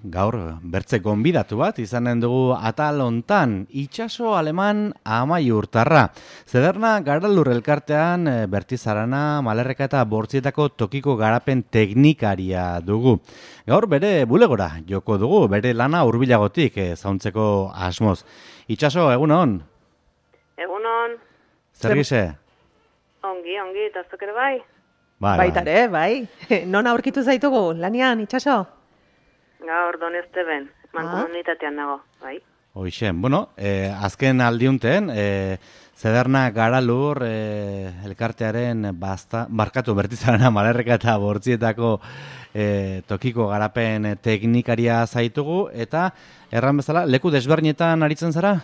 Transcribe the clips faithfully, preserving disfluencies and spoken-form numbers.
gaur bertze gonbidatu bat izanen dugu atal hontan, itsaso aleman Amaiurtarra. Zederna Garalur elkartean Bertizarana, Malerreka eta Bortzietako tokiko garapen teknikaria dugu. Gaur bere bulegora joko dugu, bere lana hurbilagotik zauntzeko asmoz. Itsaso, egunon? Egunon. Zer gize? Ongi, ongi, eta zuk ere bai? Bai, Baitare, bai. Non aurkitu zaitugu, lanian, itsaso? Gaur Donezte ben, mankomunitatean nago, bai. Hoixen, bueno, eh, azken aldiunten, eh, Zederna Garalur eh, elkartearen basta, barkatu Bertizarana, Malerreka eta Bortzietako eh, tokiko garapen teknikaria zaitugu, eta erran bezala, leku desbernietan aritzen zara?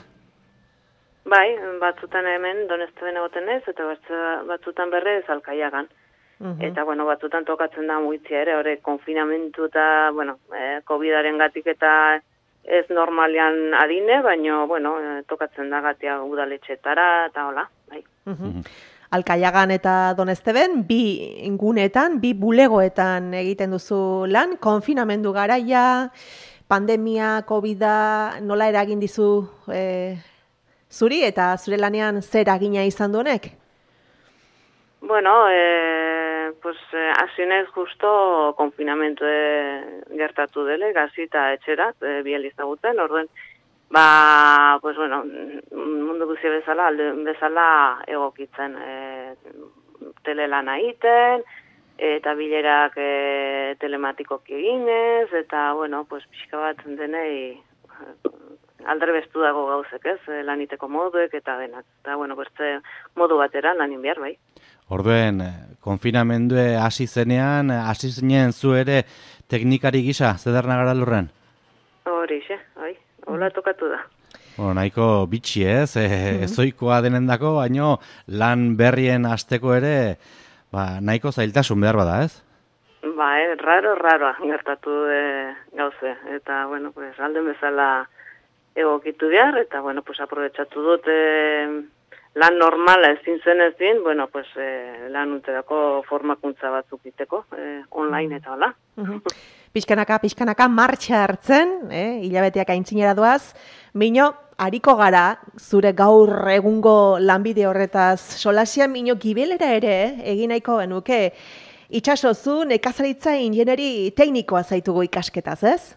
Bai, batzutan hemen Donezte ben egoten ez, eta batzutan berrez Alkaiagan. Uh-huh. Eta, bueno, batzutan tokatzen da muitzia ere, hori konfinamentu eta, bueno, eh, COVIDaren gatik eta ez normalian adine, baina, bueno, eh, tokatzen da gatia udaletxetara eta hola, bai. Uh-huh. Alkaiagan eta Donezteben, bi ingunetan, bi bulegoetan egiten duzu lan, konfinamendu garaia, pandemia, COVIDa, nola eragin dizu eh, zuri eta zure lanean zer agina izan du honek? Bueno, eh, pues, eh, asinez justo konfinamentu eh, gertatu dele, gazi eta etxerat, eh, biel izaguten, orduen, ba, pues, bueno, mundu guzia bezala, alde bezala egokitzen, eh, telelana egiten, eta bilerak eh, telematikoki eginez, eta, bueno, pues, pixka bat denei aldre bestu dago gauzek, ez, laniteko moduek eta denak. Eta, bueno, beste modu batera lanin behar, bai. Orduen, konfinamendue hasi zenean, hasi zinen zu ere teknikari gisa, Zederna Garalurren? Hori, xe, bai, hola tokatu da. Bueno, nahiko bitxi ez, e, ezoikoa denendako, baino lan berrien hasteko ere, ba, nahiko zailtasun behar bada, ez? Ba, eh, raro, raroa gertatu de gauze, eta, bueno, pues, alden bezala egokitu behar, eta, bueno, pues, aprobetsatu dut, eh, lan normala ezin zen ezin, bueno, pues, eh, lan uterako formakuntza batzuk iteko, eh, online eta hola. Uh-huh. Pixkanaka, pixkanaka, martxa hartzen, eh, hilabeteak aintzinera doaz, mino, hariko gara, zure gaur egungo lanbide horretaz, solasia mino gibelera ere, eh, egin nahiko genuke, itsaso zu nekazaritza ingeneri teknikoa zaitugu ikasketaz, ez?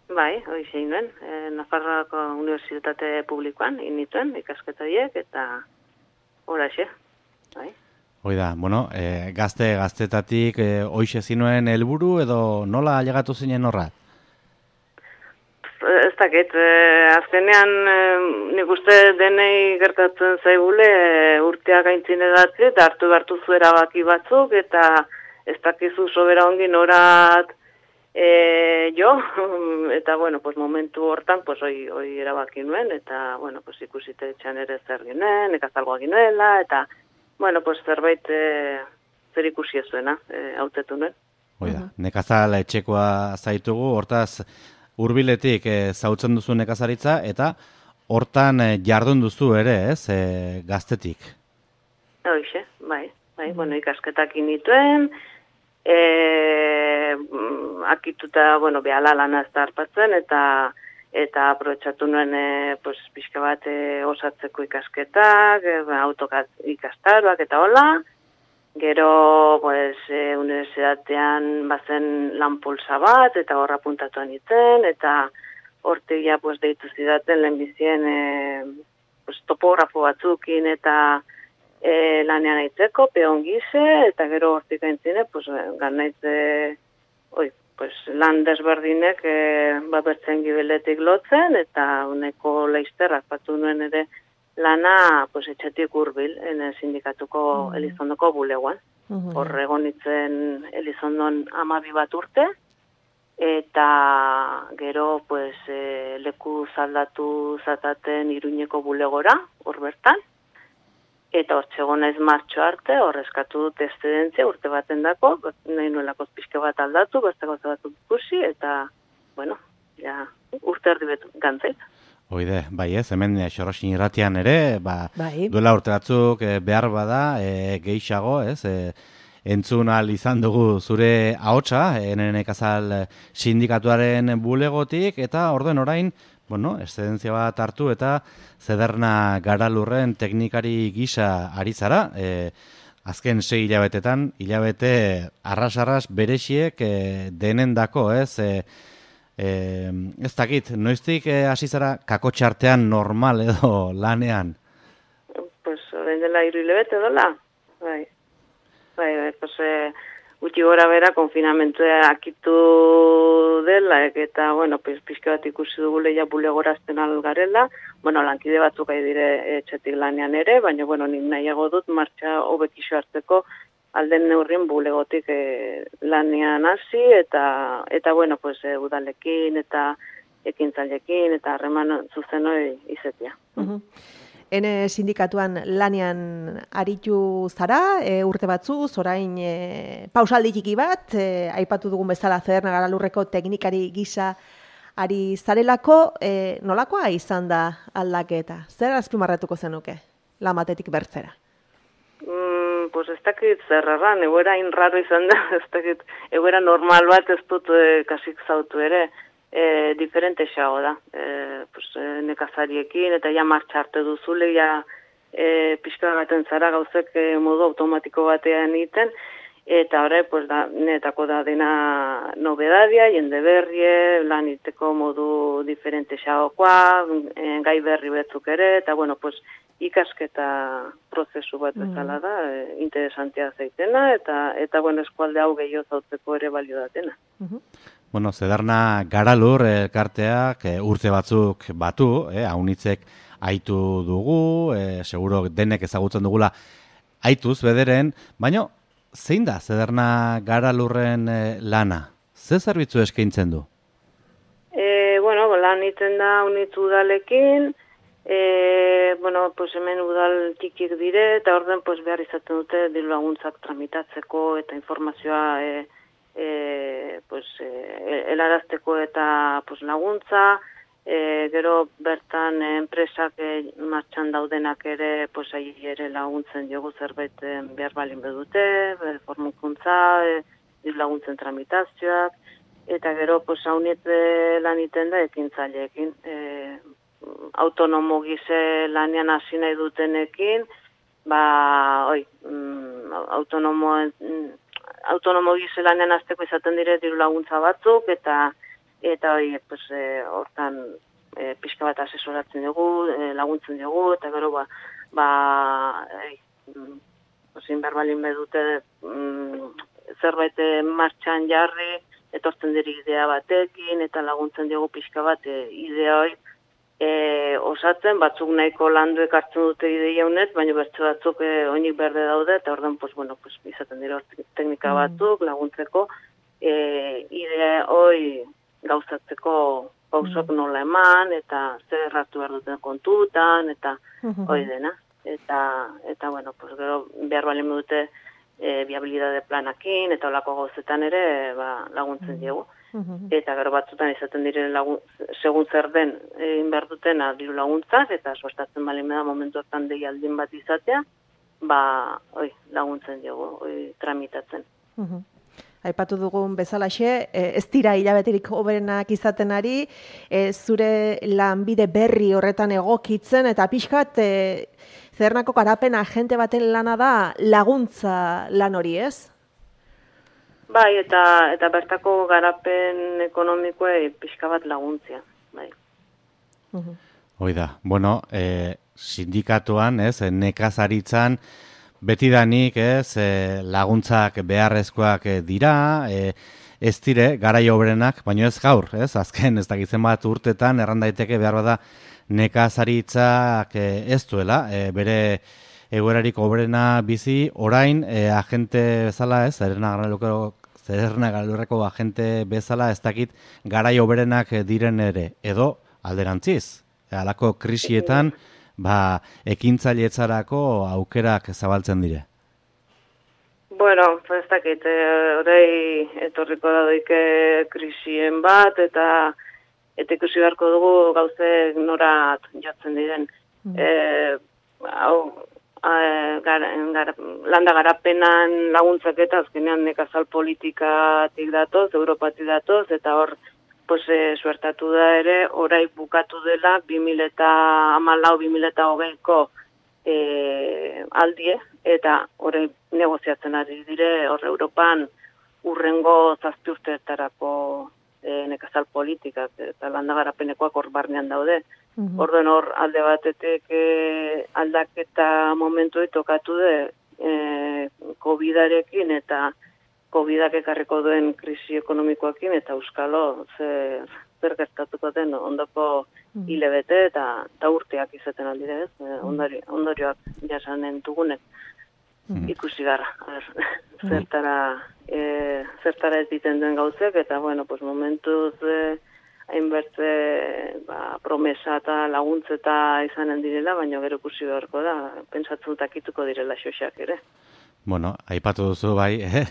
Bai, hori zein duen, e, Nafarroako Unibertsitate Publikoan inituen ikasketaiek eta horaxe, bai. Hoi da, bueno, e, gazte, gaztetatik e, hoixe zinuen helburu edo nola ailegatu zinen horra? Ez dakit, e, azkenean e, nik uste denei gertatzen zaigule e, urteak aintzin edatzi eta hartu behartu zuera baki batzuk eta ez dakizu sobera ongi norat E, jo, eta, bueno, pues momentu hortan, pues, hoi, hoi erabaki nuen, eta, bueno, pues, ikusite etxan ere zer ginen, ekazalgoa ginuela, eta, bueno, pues, zerbait e, zer ikusi ezuena, e, hautetu nuen. Oida, nekazal etxekoa zaitugu, hortaz, hurbiletik e, zautzen duzu nekazaritza, eta hortan e, jardun duzu ere, ez, e, gaztetik? Hoixe, bai, bai, bueno, ikasketak inituen, E, akituta, bueno, behala lana ez da harpatzen, eta eta aprobetsatu nuen e, pues, pixka bat e, osatzeko ikasketak, e, autokat ikastaroak eta hola. Gero, pues, e, unibertsitatean bazen lan polsa bat, eta horra puntatuan itzen, eta hortik pues, deitu zidaten lehenbizien e, pues, topografo batzukin, eta E, lanean aitzeko, peon gize, eta gero hortik aintzine, pues, ganaize, oi, pues, lan desberdinek e, babertzen gibeletik lotzen, eta uneko leizterrak batu nuen ere lana pues, etxetik hurbil, ene sindikatuko mm. Elizondoko buleguan. Mm-hmm. Hor egonitzen Elizondon amabi bat urte, eta gero pues, e, leku zaldatu zataten Iruñeko bulegora, hor bertan, eta hor txegon naiz martxo arte, hor eskatu dut eszedentzia urte baten dako, nahi nuelako pixke bat aldatu, beste gauza bat ikusi, eta, bueno, ja, urte erdi betu gantzait. Oide, bai ez, hemen Xorroxin irratian ere, ba, bai. Duela urte batzuk e, behar bada, e, gehiago, ez, e, entzun ahal izan dugu zure ahotsa, Nekazal sindikatuaren bulegotik, eta orden orain, bueno, eszedentzia bat hartu eta Zederna Garalurren teknikari gisa ari zara, e, azken sei hilabetetan, hilabete arras-arras berexiek e, denendako, ez? E, e, ez dakit, noiztik hasi zara kakotxartean normal edo lanean? Pues, orain dela hiru hilabete dola, bai. Bai, bai, pues, e, gutxi gora bera konfinamentua akitu dela, eta, bueno, pues, pixka bat ikusi dugu leia bulegorazten algarela, bueno, lankide batzuk gai dire etxetik lanean ere, baina, bueno, nik nahiago dut martxa hobekixo hartzeko alden neurrien bulegotik e, lanean hasi, eta, eta bueno, pues, e, udalekin, eta ekintzailekin, eta harreman zuzenoi izetia. Uh-huh. Ene sindikatuan lanean aritu zara, e, urte batzu, orain e, pausaldi txiki bat, e, aipatu dugun bezala Zederna Garalurreko teknikari gisa ari zarelako, e, nolakoa izan da aldaketa? Zer azpimarratuko zenuke, lamatetik bertzera? Mm, pues ez dakit zerraran, egoera inraro izan da, ez dakit, egoera normal bat ez dut e, kasik zautu ere, E, diferente xago da, e, pues, e, nekazariekin, eta ja martxa arte duzule, ja e, pixka gaten zara gauzek e, modu automatiko batean egiten, eta horre, pues, da, netako da dena nobedadia, jende berrie, lan iteko modu diferente xagokoa, e, gai berri betzuk ere, eta bueno, pues, ikasketa prozesu bat bezala da, e, interesantea zaitena, eta, eta bueno, eskualde hau gehiago zautzeko ere balio datena. Uh-huh. Bueno, Zederna Garalur elkarteak e, urte batzuk batu, eh, haunitzek aitu dugu, e, seguro denek ezagutzen dugula aituz bederen, baina zein da Zederna Garalurren e, lana? Ze zerbitzu eskaintzen du? E, bueno, lan iten da haunitz udalekin, e, bueno, pues hemen udal txikik dire, eta orden pues, behar izaten dute diru laguntzak tramitatzeko eta informazioa e, E, pues, e, helarazteko eta pues, laguntza, e, gero bertan enpresak e, martxan daudenak ere pues, ahi ere laguntzen diogu zerbait e, behar balin bedute, e, formukuntza, e, laguntzen tramitazioak, eta gero pues, hauniet e, lan iten da ekintzaileekin. E, autonomo gize lanean hasi nahi dutenekin, ba, oi, mm, autonomo... Mm, autonomo gizelanean azteko izaten dire diru laguntza batzuk, eta eta hori, pues, e, hortan e, pixka bat asesoratzen dugu, e, laguntzen dugu, eta gero ba, ba e, osin berbalin bedute mm, zerbait martxan jarri, etortzen diri idea batekin, eta laguntzen dugu pixka bat e, idea hori E, osatzen, batzuk nahiko landuek hartzen dute ideia honet, baina bertze batzuk e, oinik berde daude, eta orduan, pues, bueno, pues, izaten dira teknika batzuk laguntzeko, e, idea hori gauzatzeko pausok nola eman, eta zer erratu behar duten kontutan, eta hori dena. Eta, eta bueno, pues, gero behar balen dute e, viabilidade planakin, eta olako gauzetan ere ba, laguntzen diegu. Eta gero batzutan izaten diren lagun, segun zer den egin behar dutena diru laguntzak, eta suertatzen balin da momentu hortan deialdin bat izatea, ba, oi, laguntzen dugu, oi, tramitatzen. Uh-huh. Aipatu dugun bezalaxe, ez dira hilabeterik hoberenak izaten ari, e, zure lanbide berri horretan egokitzen, eta pixkat, e, Zedernako garapen agente baten lana da laguntza lan hori, ez? Bai, eta eta bertako garapen ekonomikoa pixka bat laguntzia, bai. Uh-huh. Hoi da, bueno, e, sindikatuan, ez, nekazaritzan, betidanik, ez, e, laguntzak beharrezkoak dira, e, ez dire, garai obrenak, baino ez gaur, ez, azken, ez dakitzen bat urtetan, erran daiteke behar bada nekazaritzak e, ez duela, e, bere egoerarik obrena bizi, orain, e, agente bezala, ez, Zederna Garalurreko agente bezala, ez dakit garai oberenak diren ere, edo alderantziz, halako krisietan, ba, ekintzailetzarako aukerak zabaltzen dire. Bueno, ez dakit, horrei etorriko da doike krisien bat, eta eta ikusi beharko dugu gauzek norat jotzen diren. Mm. E, hau, e, gara, gara, landa garapenan laguntzak eta azkenean nekazal politikatik datoz, Europatik datoz, eta hor pues, e, suertatu da ere, orai bukatu dela bi mila hamalau bi mila hogeiko e, aldie, eta orai negoziatzen ari dire, hor Europan urrengo zazpi urteetarako e, nekazal politikak eta landa garapenekoak hor barnean daude. Mm-hmm. Orden hor alde batetik e, aldaketa momentu tokatu de e, COVIDarekin eta COVIDak ekarriko duen krisi ekonomikoekin eta euskalo ze, zer gertatuko den ondoko hilabete eta, eta urteak izaten aldire ez, e, ondori, ondorioak jasanen dugunek. Mm-hmm. Ikusi gara, a ber, zertara, e, zertara ez diten duen gauzek eta bueno, pues momentuz e, hainbertze ba, promesa eta laguntzeta izanen direla, baina gero ikusi beharko da, pentsatzen takituko direla xoxak ere. Bueno, aipatu duzu bai, eh?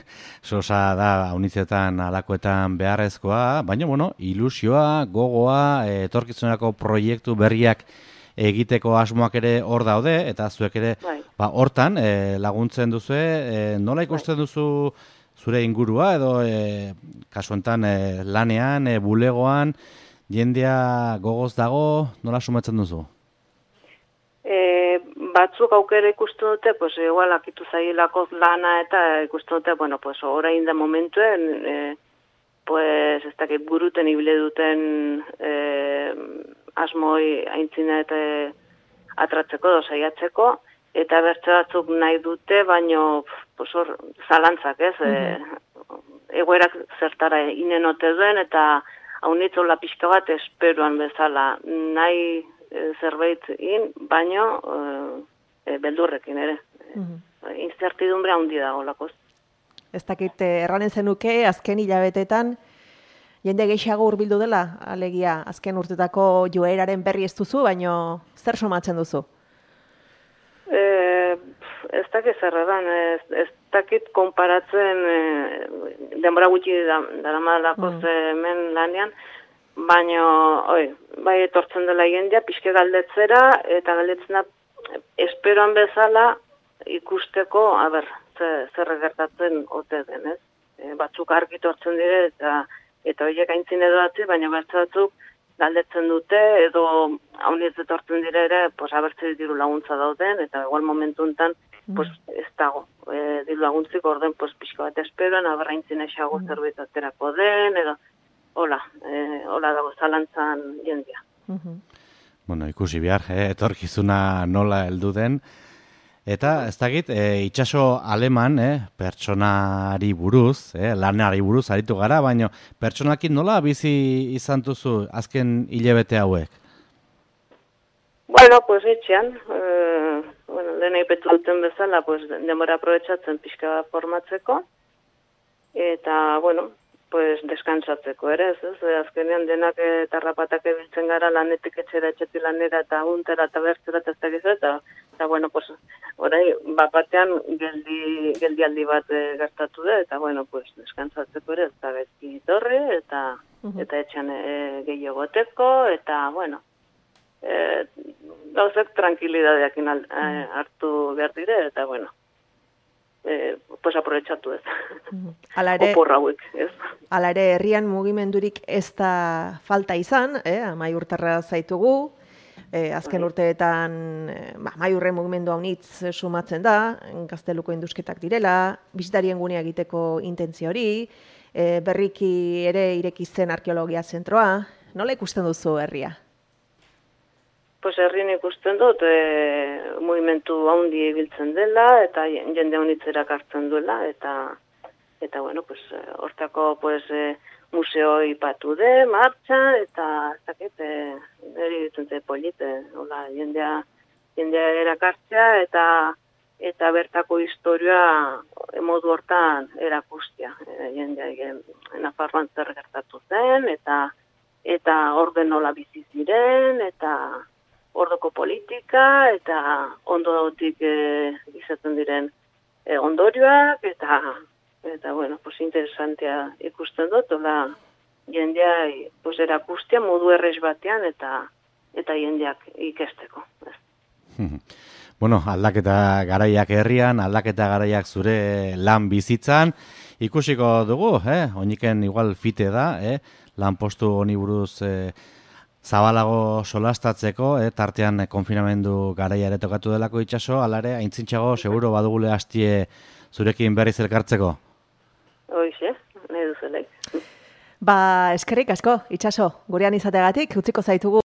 Sosa da haunitzetan alakoetan beharrezkoa, baina bueno, ilusioa, gogoa, etorkizuneko proiektu berriak egiteko asmoak ere hor daude, eta zuek ere bai. Ba, hortan e, laguntzen duzu, e, nola ikusten bai. Duzu zure ingurua edo e, kasu enten e, lanean, e, bulegoan, jendea gogoz dago, nola sumatzen duzu? E, batzuk aukera ikusten dute, pues igual akitu zailako lana eta ikusten dute, bueno, pues orain da momentuen, e, pues ez dakit buruten ibile duten e, asmoi aintzina eta atratzeko, dosaiatzeko, eta bertze batzuk nahi dute, baino pues hor zalantzak, ez? Mm-hmm. E, egoerak zertara inenote duen, eta haunitzola pixka bat esperuan bezala nahi e, zerbait in, baino e, beldurrekin ere. Mm-hmm. Incertidumbre handi dago lakoz. Ez dakit, erranen zenuke, azken hilabetetan, jende gehiago hurbildu dela, alegia, azken urtetako joeraren berri ez duzu, baino zer somatzen duzu? E, ez dakit zerredan, ez, ez dakit konparatzen e, denbora gutxi daramadalako mm. hemen lanean, baina oi, bai etortzen dela jendea, pixke galdetzera, eta galdetzena esperoan bezala ikusteko, a ber, zer gertatzen ote den, ez? E, batzuk argi tortzen dire, eta eta horiek aintzin edo atzi, baina bertze batzuk galdetzen dute, edo haunietz etortzen dire ere, pues, abertze diru laguntza dauden, eta igual momentu enten, pues, ez dago. E, diru laguntzik orden, pues, pixko bat esperoan, aberra aintzin esago mm. zerbait aterako den, edo, hola, e, hola dago zalantzan jendea. Mm-hmm. Bueno, ikusi behar, eh, etorkizuna nola heldu den, eta ez dakit, e, itxaso aleman, eh, pertsonari buruz, eh, lanari buruz aritu gara, baina pertsonakin nola bizi izan duzu azken hilabete hauek? Bueno, pues etxean, eh, bueno, dena ipetu duten bezala, pues denbora aprobetxatzen pixka formatzeko, eta, bueno, pues deskantzatzeko ere, ez, ez? Azkenean denak eta rapatak ebiltzen gara lanetik etxera, etxetik lanera, eta untera, eta bertzera, eta ez dakizu, eta, eta, bueno, pues, orai, bapatean geldi, geldialdi bat e, gertatu da, eta, bueno, pues, deskantzatzeko ere, eta gaizki torre, eta, uh-huh. eta etxean e, gehiago goteko, eta, bueno, e, gauzek tranquilidadeakin al, e, hartu behar dire, eta, bueno, Eh, pues aprobetxatu ez. Alare, Oporra hauek, ez. Hala ere, herrian mugimendurik ez da falta izan, eh? Amaiurtarra zaitugu, eh, azken urteetan eh, ba, amaiurren mugimendu haunitz sumatzen da, Gazteluko indusketak direla, bisitarien gunea egiteko intentzio hori, eh, berriki ere irekitzen arkeologia zentroa, nola ikusten duzu herria? Pues herrien ikusten dut, e, mugimendu handi ibiltzen dela, eta jende honitzerak hartzen duela, eta, eta bueno, pues, hortako pues, e, museo ipatu de, martxa, eta ez dakit, eri ditzen ze polit, e, hola, jendea, jendea erakartzea, eta, eta bertako historia modu hortan erakustia. E, jendea, e, Nafarroan zer gertatu zen, eta, eta orden nola bizi ziren, eta ordoko politika, eta ondotik e, izaten diren e, ondorioak, eta, eta bueno, pues interesantea ikusten dut, ola, jendea pues, erakustia modu errez batean, eta, eta jendeak ikesteko. Bueno, aldaketa garaiak herrian, aldaketa garaiak zure lan bizitzan, ikusiko dugu, eh? Oiniken igual fite da, eh? Lan postu honi buruz eh, zabalago solastatzeko, eh? Tartean eh, konfinamendu garaia ere tokatu delako itxaso, alare, aintzintxago, seguro badugule hastie zurekin berriz elkartzeko. Hoixe, nahi duzelek. Ba, eskerrik asko, itxaso, gurean izateagatik, utziko zaitugu.